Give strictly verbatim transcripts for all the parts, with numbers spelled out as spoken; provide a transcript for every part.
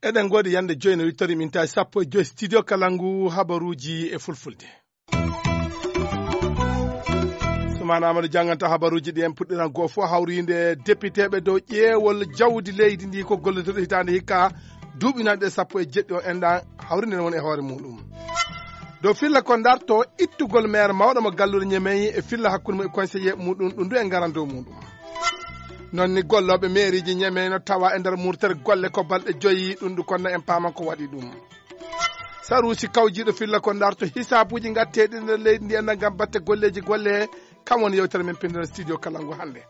Eɗen ngoodi yande joyi no wittori min tawi sappo e joyi studio Kalangu habaruuji e fulfulde. Sumaana Amadou jannganta habaruuji ɗi en puɗɗiran goo fof hawriinde depiteeɓe dow ƴeewol jawdi leydi ndi ko gollitirɗo hitaande hikka duuɓi nanɗe sappo e jeɗɗi o enɗan hawriinde ne woni e hoore muɗum. Dow filla ko darto ittugol maire mawɗo mo galluure Ñemey e filla hakkunde mum e conseiller muɗum ɗum du en ngaran dow muɗum. Noon ni gollooɓe meeriiji Ñemey no tawa e nder murtere golle ko balɗe joyi ɗum ɗum konna en paaman ko waɗi ɗum. Saruusi kawjiiɗo filla ko darto hisaabuuji ngatteeɗi nder leydi ndi enɗan ngam batte golleeji golle kam woni yewtere men pinndere studio Kalangu hannde.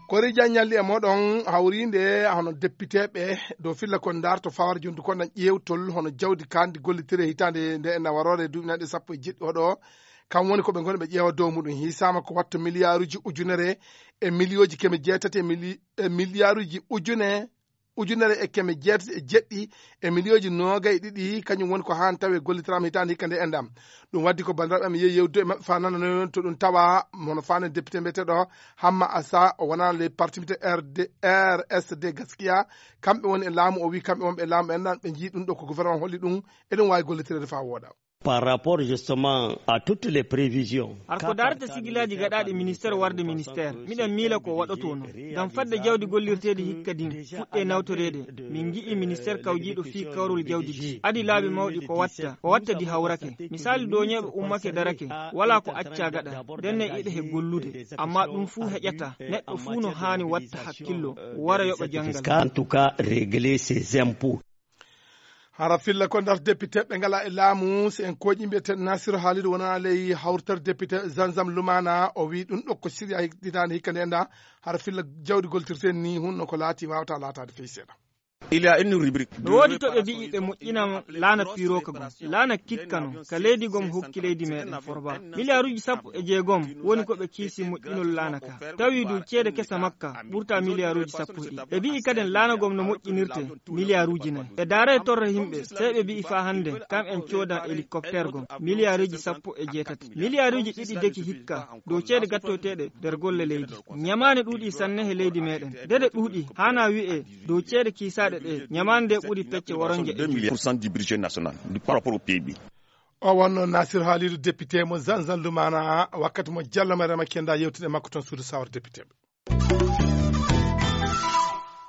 Kori Jan ñalli e moɗon hawriinde hono depiteeɓe dow filla ko darto fawar jondu ko nan ƴeewtol hono jawdi kandi gollitire hitaande nde en waroore duuɓi nanɗe sappo e jeɗɗi oɗo kam woni ko ɓe ngoni ɓe ƴeewa dow muɗum hisaama ko watto miliyaaruuji ujunere e miliyooji keme jeetati e mili- e miliyaaruuji ujune ujunere e keme jeetati e jeɗɗi e miliyooji noogay ɗiɗi kañum woni ko haan tawi gollitiraama hitaande hikka nde enɗam. Ɗum waddi ko banndiraaɓe am yehi yewtude e maɓɓe faa nananoyon to ɗum tawa hono faande député mbiyeteeɗo Hamma Asa o wonaa ley parti mbiyetee R D R S D Gaskiya. Kamɓe woni e laamu o wii kamɓe wonɓe e laamu ɓe enɗan ɓe njii ɗum ɗo ko gouvernement holli ɗum eɗum waawi gollitireede faa wooɗa. Par rapport justement à toutes les prévisions. Har ko darata sigilaaji gaɗaaɗi ministère warde ministère miɗen miila ko waɗotoo noon ngam fadde jawdi gollirteedi hikka din fuɗɗe nawtoreede. Min ngi'i ministère kawjiiɗo fii kawrol jawdi di adi laabi mawɗi ko watta ko watta di hawrake. Misaali dooñeeɓe ummake darake walaa ko accaa gaɗa ndenne iɗa he gollude. Amma ɗum fuu heƴata neɗɗo fuu no haani watta hakkillo wara yoɓa janngal. En tout cas régler ses impôts. Hara filla ko ndar depiteeɓe ngala e laamu si en kooƴi mbiyeteeɗo Nasiru Haalidu wonaa ley hawritere depite Zanzam Lumaana o wii ɗum ɗo ko siriya hitaande hikka nde nda hara filla jawdi goltirteen ni hunno ko laati waawata laataade fey seeɗa. Il y a une rubrique. No woodi to ɓe mbi'i ɓe moƴƴina laana piirooka gom laana kikka no ka leydi gom hokki leydi meeɗen forba miliyaaruuji sappo e jeegom woni ko ɓe kiisi moƴƴinol laana ka tawi du ceede kesa makka ɓurta miliyaaruuji sappo e ɗiɗi ɓe mbi'i kaden laana gom no moƴƴinirte miliyaaruuji nayi e daara e torra yimɓe sey ɓe mbi'i faa hannde kam en coodan hélicoptère gom miliyaaruuji sappo e jeetati miliyaaruuji ɗiɗi deki hikka dow ceede gattoyteeɗe nder golle leydi ñamaane ɗuuɗi sanne he leydi meeɗen dede ɗuuɗi haana wi'e dow ceede kiisaaɗe ɗe ñamaande nde ɓuri pecce woronje e ɗiɗi. Pour cent du budget national du par rapport au P I B. O wonno Nasir Halidu député mo Zanzan Lumana wakkati mo Jallo Mariama Kenda yewtude makko toon suudu sawar député ɓe.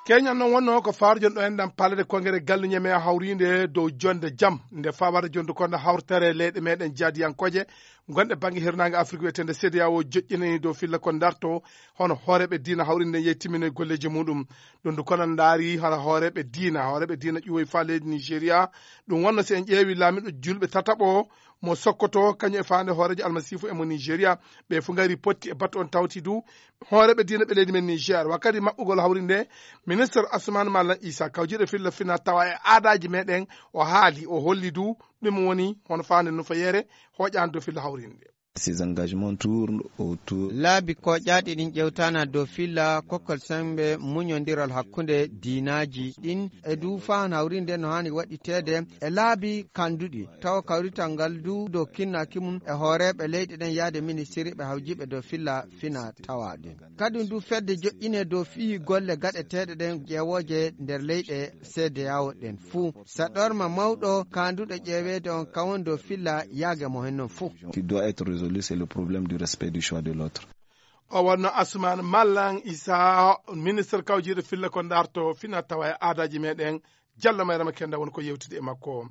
Keñal noon wonno ko faarjon ɗo enɗam palade kongere galluñe me hawrinde dow jonde jam nde fawata jonde kono hawtere leyɗe meɗen jaadiyankooje gonɗe bangge hirnaange Afrik wiyetende C D A O joƴƴinani dow filla ko darto hono hooreɓe diina hawrinde yehi timminoye golleji muɗum. Ɗum du kono ndaari hono hooreɓe diina hooreɓe diina ƴuwoy fa leydi Nigeria. Ɗum wonno si en ƴeewi laamiɗo julɓe tataɓo mo sokkoto kañum e faande hooreejo almasiifu e mo Nigeria. Ɓe fu ngari potti e batu on tawti du hooreɓe diina ɓe leydi men Niger wakkati maɓɓugol hawri nde ministre Assoumane Mallan Issa kawjiɗo filla fina tawa e aadaji meɗen o haali o holli du ɗum woni hono faande nufa yeere hoƴande dow filla hawri nde. Ces engagements tournent autour. Laabi koƴaaɗi ɗin ƴewtana dow filla kokkol sembe muñondiral hakkunde diinaaji ɗin e du faan hawrinde no haani waɗiteede e laabi kanduɗi tawa kawrital ngal du dow kinnaaki mum e hooreeɓe leyɗe ɗen yaade ministiri ɓe hawjiɓe dow filla fina tawa ɗin. Kadi du fedde joƴƴine dow fii golle gaɗeteeɗe ɗen ƴeewooje nder leyɗe C D A O ɗen fuu saɗorma mawɗo kaanduɗo ƴeeweede on kawon dow filla yaage mo hen non fuu. Qui doit être résolu, c'est le problème du respect du choix de l'autre. O wonno Assoumane Mallan Issa ministre kawjiiɗo filla ko darto fina tawa e aadaji meɗen Jallo Mayrama Kenda woni ko yewtide e makko.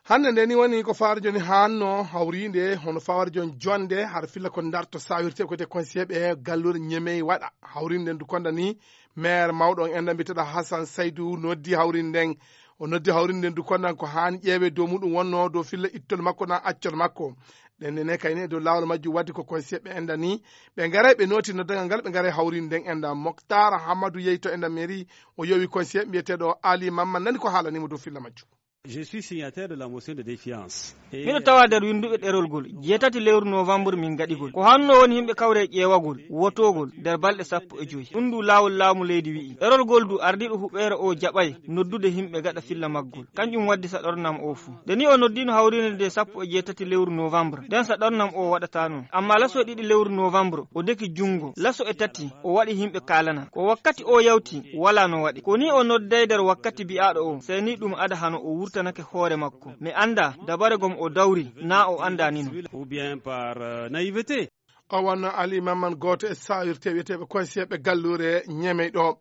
Hannde nde ni woni ko fawarjo ni hanno hawrinde hono fawarjo jonde har filla ko darto sawirte ko te conseiller ɓe gallure ñemey waɗa hawrinde ndu konda ni maire mawɗo on enda mbiteɗo Hassan Saydou noddi hawrinde nden. O noddi hawrinde nden du kondan ko haani ƴeewe dow muɗum wonno dow filla ittol makko na accol makko. Ɗen nene kayne e dow laawol majjum waddi ko conseiller ɓe enda ni ɓe ngaray ɓe nooti noddagal ngal ɓe ngaray hawrinde nden enda Moctar Hamadou yehi to enda mairie o yowi conseiller mbiyeteɗo Ali Mamma nani ko haalanimo dow filla majjum. Je suis signataire de la motion de défiance. Miɗo tawa nder winnduɓe ɗerol ngol, jeetati lewru novembre min ngaɗigol. Ko hanno woni yimɓe kawre ƴeewagol, wotoogol nder balɗe sappo e joy. Ɗum ndu laawol laamu leydi wi'i. Ɗerol ngol du ardiiɗo huɓeere o jaɓay noddude yimɓe gaɗa filla maggol. Kanƴum waddi sa ɗornam o fuu. Nde ni o noddiino hawriinde nde sappo e jeetati lewru novembre, nden sa ɗornam o waɗata noon. Amma laso e ɗiɗi lewru novembre, o deki junngo. Laso e tati, o waɗi yimɓe kaalana. Ko wakkati o yawti, wala no waɗi. Ko ni o nodday nder wakkati bi'aaɗo o, sey ni ɗum ada hano o wurtanake hoore makko. Mi annda, dabare gom o dawri, naa o annda ni non. Ou bien par, euh, naïveté. O wonno Alimaman gooto e sawirte wiyeteeɓe koyseeɓe galluure Ñemey ɗo.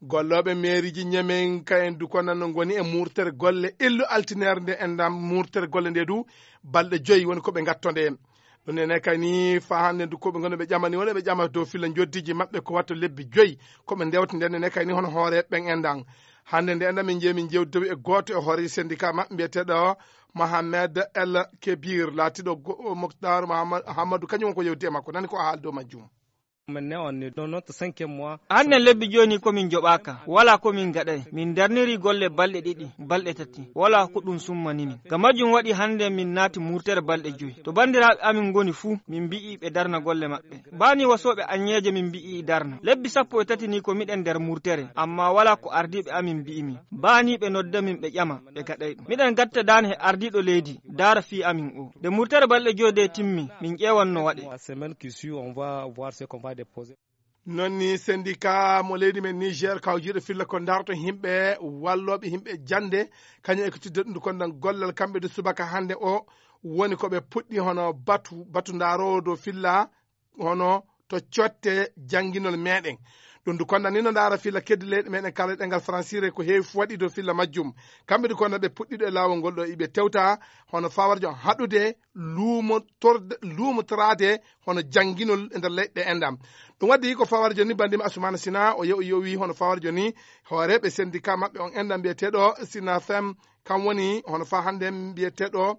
Gollooɓe meeriiji Ñemey kayen du ko nan no ngoni e murtere golle illu altineere nde enɗam murtere golle nde du balɗe joyi woni ko ɓe ngatto nde. Ɗum nene kay ni fa hannde du ko ɓe ngoni ɓe ƴamani woni ɓe ƴama dow filla njoddiiji maɓɓe ko watta lebbi joyi ko ɓe ndewta nden nene kay ni hono hoore ɓen enɗam. Hannde nde enɗam min jeeyi min jewtitowi e gooto e hoore syndicat maɓɓe mbiyeteeɗo Mohamed El Kebir laatiiɗo go- Moktar Mohamed Hamadu kañum won ko yewti e makko nani ko o haali dow majjum. Maintenant, on est dans notre cinquième mois. Hannde lebbi jooni ko min njoɓaaka, wala ko min ngaɗay. Min darniri golle balɗe ɗiɗi, balɗe tati, wala ko ɗum summani min. Ngam majjum waɗi hannde min naati murtere balɗe joyi. To banndiraaɓe amin ngoni fuu, min mbi'i ɓe darna golle maɓɓe. Baani wasooɓe aññeeje min mbi'i darna. Lebbi sappo e tati ni ko miɗen nder murtere, amma wala ko ardiiɓe amin mbi'i min. Baani ɓe nodda min ɓe ƴama, ɓe gaɗay ɗum. Miɗen gatta daane he ardiiɗo leydi, daara fii amin o. Nde murtere balɗe joyi de timmi, min ƴeewan no waɗe. La semaine qui suit, on va voir ce qu'on va déposer. Non ni syndicat mo leydi men Niger kawjiiɗo filla ko darto yimɓe wallooɓe yimɓe jannde kañum e ko tidde ɗum ko ndan gollal kamɓe de subaka hannde o woni ko ɓe puɗɗi hono batu batu ndaaroowo dow filla hono to cotte jannginol meɗen. Ɗum du konda ni no ndaara filla keddi leyɗe meɗen kala ɗengal fransire ko heewi fu waɗi dow filla majjum. Kamɓe du konda ɓe puɗɗiɗo e laawol ngol ɗo iɓe tewta hono fawarjo haɗude luumotorɗe luumotoraade hono jannginol e nder leyɗe enɗam. Ɗum waɗi ko fawarjo ni banndima Asumana Sina o yew yowi hono fawarjo ni hooreeɓe syndicat maɓɓe on enɗam mbiyeteeɗo Sinafem kam woni hono fa hannde mbiyeteeɗo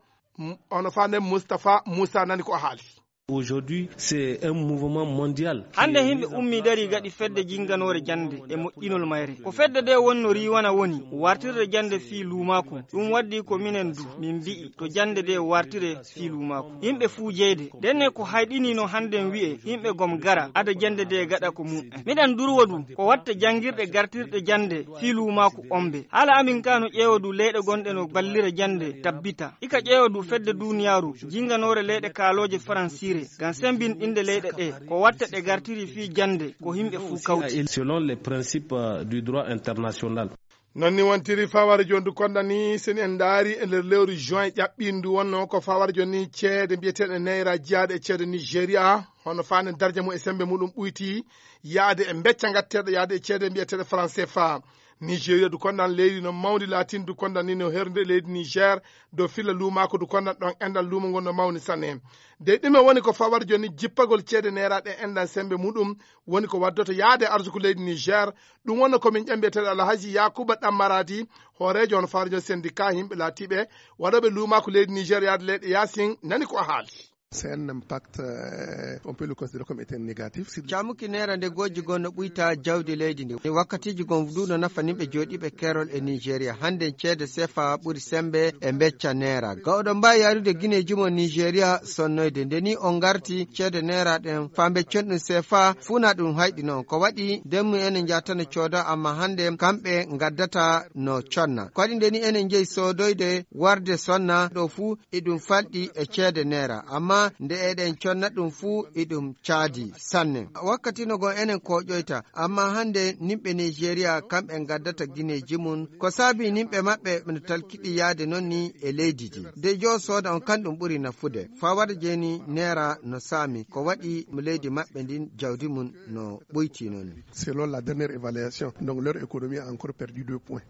hono fa nde Moustapha Moussa nani ko o haali. Aujourd'hui, c'est un mouvement mondial. Hannde yimɓe ummii darii gaɗi fedde jinnganoore jannde e moƴƴinol mayre. Ko fedde nde wonno riiwana woni wartirde jannde fii luumaaku. Ɗum waddi ko minen du min mbi'i to jannde nde wartire fii luumaaku. Yimɓe fuu jeyde. Ndenne ko hayɗiniino hannden wi'e yimɓe gom gara ada jannde nde gaɗa ko mum'en. Miɗen durwa du ko watta janngirɗe gartirɗe jannde fii luumaaku ombe. Haala amin ka no ƴeewa du leyɗe gonɗe no ballira jannde tabbita. Ika ƴeewa du fedde duuniyaaru jinnganoore leyɗe kaalooje faransiire ngam sembinɗinde leyɗe ɗe ko watta ɗe gartiri fii jannde ko yimɓe fuu kawti. Selon les principes, euh, du droit international. Non ni wontiri faware jondu konda ni seni en ndaari e nder lewru juin ƴaɓɓindu wonno ko faware jonni ceede mbiyeteeɗe nayra jiyaaɗe e ceede Nigeria hono faande darja mum e sembe muɗum ɓuyti yaade e becca ngatteeɗo yaade e ceede mbiyeteeɗe franc cfa. Nigeria du kondan leydi no mawndi latin du kondan ni no hernde leydi Niger dow filla luumaako du kondan ɗon enɗan luumo ngon no mawni sanne. De ɗume woni ko fawar jonni jippagol ceede neeraɗe enɗan sembe muɗum woni ko waddoto yaade arsuku leydi Niger. Ɗum wonno komin ƴambiyeteeɗo Alhaji Yakuba Ɗammaradi hooreejo on farjo syndicat yimɓe laatiiɓe waɗooɓe luumaako leydi Niger yaade leyɗe yaasin nani ko o haali. C'est un impact, euh, on peut le considérer comme étant négatif. Camuki neera nde gojji goo no ɓuyta jawdi leydi ndi. Wakkatiiji goo ndu no nafa nimɓe jooɗiiɓe keerol e Nigeria. Hannde ceede sefa ɓuri sembe e becca neera. Ga oɗon mbaawi yaarude Guinée jumo Nigeria sonnoyde. Nde ni on ngarti ceede neera ɗen faa beccon ɗum sefa fuu na ɗum hayɗi noon. Ko waɗi ndemmu enen njaatano cooda amma hannde kamɓe ngaddata no conna. Ko waɗi nde ni enen njehi soodoyde warde sonna ɗo fuu iɗum falɗi e ceede neera, amma nde eɗen conna ɗum fuu iɗum caadi sanne. Wakkati no goo enen kooƴoyta, amma hannde nimɓe Nigeria kamɓe ngaddata gineeji mum, ko saabi nimɓe maɓɓe no talkiɗi yaade noon ni e leydi ndi. De joo sooda on kan ɗum ɓuri nafude. Fawade jeeni neera no saami, ko waɗi mo leydi maɓɓe ndin jawdi mum no ɓoyti noon ni. Selon la dernière évaluation, donc leur économie a encore perdu deux points.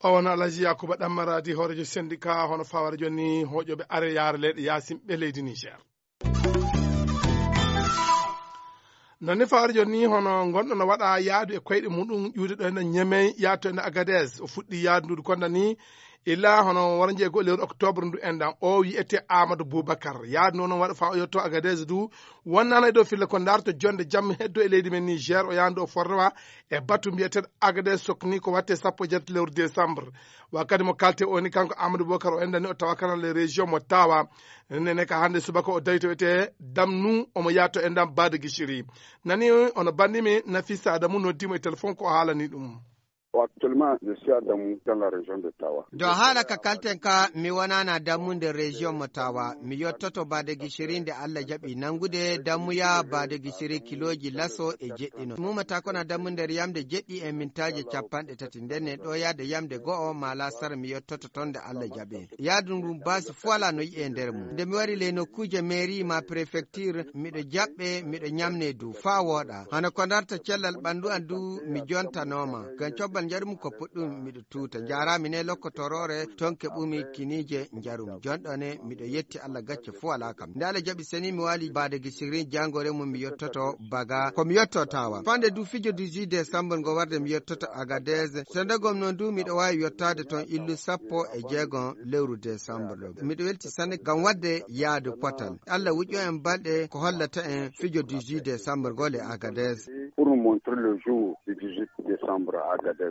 O won Alhaji Yakuba Ɗammaradi hoorejo syndicat hono fawara jonni hoƴoɓe are yaara leyɗe yaasin ɓe leydi Niger. Non ni fawara jonni hono gonɗo no waɗa yaadu e koyɗe muɗum ƴuude ɗo ene Ñemey yaato ene Agadez o fuɗɗi yaadu ndu konda ni Ila hono waranjeego lewru octobre ndu enɗan, o wiyetee Amadou Boubacar. Yaadu noon waɗa faa o yotto Agadez du, wonnaana e dow filla ko ndaarto jonde jam heddo e leydi men Niger, o yahandu o forrowa e batu mbiyeteeɗo Agadez sokni ko watte sappo e jeetati lewru décembre. Wakkati mo kalte o ni kanko Amadou Boubacar o enɗan ni o tawa kanal e région mo tawa. Nene ka hannde subaka o dawi to wiyetee Damnu, omo yaha to enɗan Bade Guichiri. Nani ono banndi mi Nafisa Adamu noddimo e téléphone ko o haalani ɗum. Actuellement, je suis à Damou, dans la région de Tawa. Do haala ka kalten ka, mi wonana Dammu nder région mo Tawa. Mi yottoto Bade Guichiri nde Allah jaɓi nangude Dammuya Bade Guichiri kilooji laso e jeɗɗino. Mumata kona Dammu nder yamde jeɗɗi e mintaaje capanɗe tati. Nden ne ɗo yaade yamde go'o ma lasara mi yottoto ton nde Allah jaɓi. Yaadu ndu baasi fola no yi'e nder mum. Nde mi wari le nokkuuje mairie ma préfecture, miɗo jaɓɓe, miɗo ñamne du faa wooɗa. Hano ko darta cellal ɓanndu an du mi jontanoma. Ngam cobbal njarum ko puɗɗum miɗo tuuta. Njaaraami ne lokkotorore ton keɓumi kiniije njarum. Jonɗo ne miɗo yetti Allah gacce fuu alaa kam. Nde Allah jaɓi seni mi waali Bade Guichiri jangore mum mi yottoto Baga. Ko mi yotto Tawa. Fande du fijo dix-huit décembre ngo warde mi yottoto Agadez. Sendegom noon du miɗo waawi yottaade ton illu sappo e jeegom lewru décembre ɗo. Miɗo welti sanne ngam waɗde yaadu potal. Allah wuƴƴo en balɗe ko hollata en fijo dix-huit décembre ngol e Agadez. Pour nous montrer le jour du dix-huit décembre à Agadez.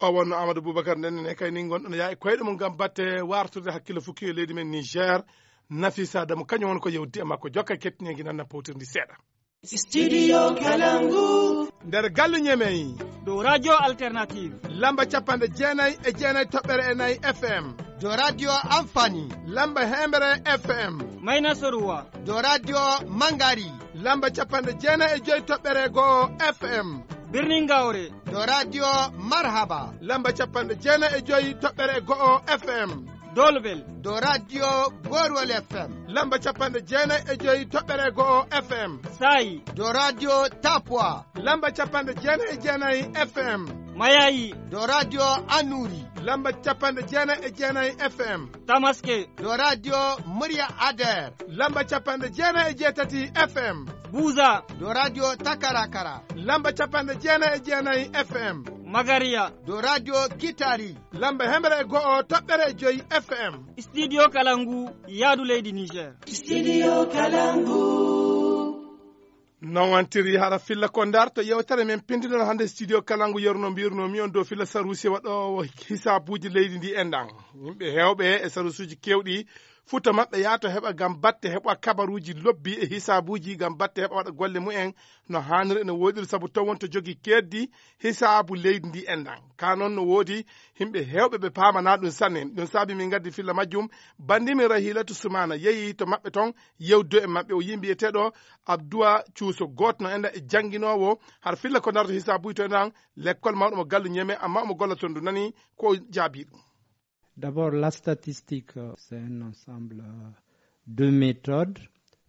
O wonno Amadou Boubacar nden ne kay ni ngonɗon yaa e koyɗe mum ngam batte wartude hakkille fukki e leydi men Niger. Nafisa Adamu kañum woni ko yewti e makko jokka kettinengi nan na powtirndi seeɗa. Studio Kalangu. Nder galle Ñemey. Dow Radio Alternative. Lamba capanɗe jeenayi e jeenayi toɓɓere e nayi F M. Dow Radio Amfani. Lamba hemere F M. Mayna Soruwa. Dow Radio Mangari. Lamba capanɗe jeenayi e joyi toɓɓere go'o F M. Birnin Gawre. Dow Radio Marhaba. Lamba capanɗe jeenayi e joyi toɓɓere go'o F M. Dolbel. Dow Radio Gorwol F M. Lamba capanɗe jeenayi e joyi toɓɓere go'o F M. Sayi. Dow Radio Tapwa. Lamba capanɗe jeenayi e jeenayi F M. Mayayi. Dow Radio Anuri. Lamba capanɗe jeenayi e jeenayi F M. Tamaske. Dow Radio Murya Ader. Lamba capanɗe jeenayi e jeetati F M. Buza. Dow Radio Takarakara. Lamba capanɗe jeenayi e jeenayi F M. Magariya. Dow Radio Kitari. Lamba hemere e go'o toɓɓere e joyi F M. Studio Kalangu, yaadu leydi Niger. Studio Kalangu. Non wantiri hara filla ko ndarto yewtere men pindinol hannde studio Kalangu yerno mbirno mi on dow filla sarusi waɗo hisaabuji leydi ndi enɗan. Yimɓe hewɓe e sarusuji kewɗi futa maɓɓe yaato heɓa ngam batte heɓa kabaruji lobbi e hisaabuji ngam batte heɓa waɗa golle mumen no haaniri ene woɗiri sabu taw wonto jogi keddi hisaabu leydi ndi enɗan. Ka noon no woodi yimɓe hewɓe ɓe paamana ɗum sanne. Ɗum saabi min ngaddi filla majjum. Bandimi Rahilatu Sumana yehi to maɓɓe toon yewdo e maɓɓe. O yimbi eteɗo Abdua Cuuso gootno enɗan e jannginoowo har filla ko ndarto hisaabuji to enɗan lekkol mawɗo mo gallu Ñeme amma omo golla toon ndu nani ko jaabi ɗum. D'abord, la statistique, euh, c'est un ensemble, euh, de méthodes.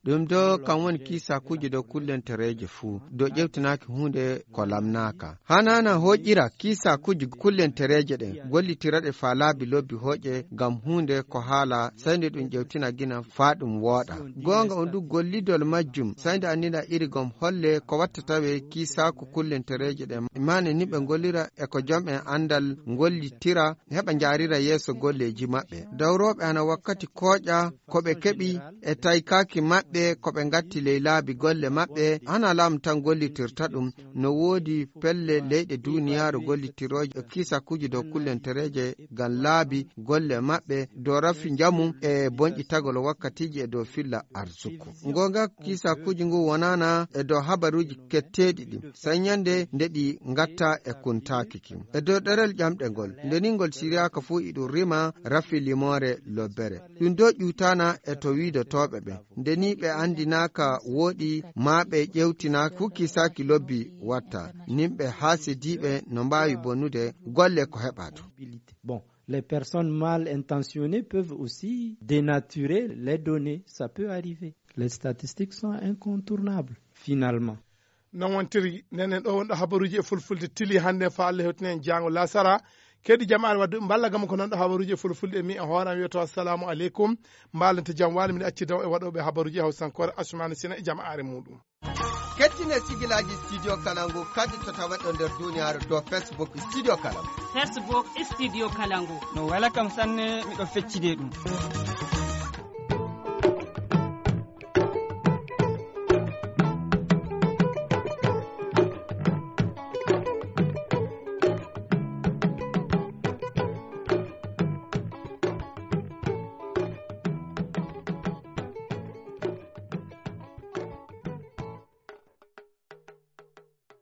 Ɗum do kam woni kiisakuuji dow kullentereeje fuu, dow ƴewtinaaki huunde ko lamnaaka. Hanaana hoƴƴira kiisakuuji kullentereeje ɗen, gollitiraɗe faa laabi lobbi hoƴe ngam huunde ko haala, sey nde ɗum ƴewtina gina faa ɗum wooɗa. Goonga on du gollidol majjum, sey nde anndina iri gom holle ko watta tawe kiisaaku kullentereeje ɗen, maane ni ɓe ngollira e ko jom en anndal ngollitira heɓa njaarira yeeso golleeji maɓɓe. Dawrooɓe hana wakkati kooƴa ko ɓe keɓi e taykaaki maɓɓe ko ɓe ngatti ley laabi golle maɓɓe, hana laamu tan gollitirta ɗum. No woodi pelle leyɗe duuniyaaru gollitirooje e kiisakuuji dow kullentereeje ngam laabi golle maɓɓe dow rafi njamu e bonƴitagol wakkatiiji e dow filla arsuku. Ngoonga kiisakuuji ngu wonaana e dow habaruuji ketteeɗi ɗi. Sey ñande nde ɗi ngatta e kuntaaki ki. E dow ɗerel ƴamɗe ngol, nde ni ngol siriyaaka fuu iɗum rima rafi limoore lobbere. Ɗum do ƴuutaana e to wiidotooɓe ɓe. Nde ni ɓe anndinaaka wooɗi maa ɓe ƴewtinaaka fuu kiisaaki lobbi watta. Nin ɓe haasidiiɓe no mbaawi bonude golle ko heɓaa to. Bon, les personnes mal intentionnées peuvent aussi dénaturer les données. Ça peut arriver. Les statistiques sont incontournables, finalement. Non wontiri, nenen ɗo wonɗo habaruuji e fulfulde tili hannde faa Allah hewtinen jaango lasara. Kedi jamaare wadduɓe mballa gam ko nanɗo habaruuji e fulfulde e mi e hooram wiyoto assalamu aleykum. Mbaalante jam waali min acci daw e waɗooɓe habaruuji e hawsankoore Asumani Sina e jamaare muuɗum. Kettine sigilaaji Studio Kalangu kadi to taweɗo nder duuniyaaru dow Facebook Studio Kalangu. Facebook Studio Kalangu. No wela kam sanne, miɗo feccide ɗum.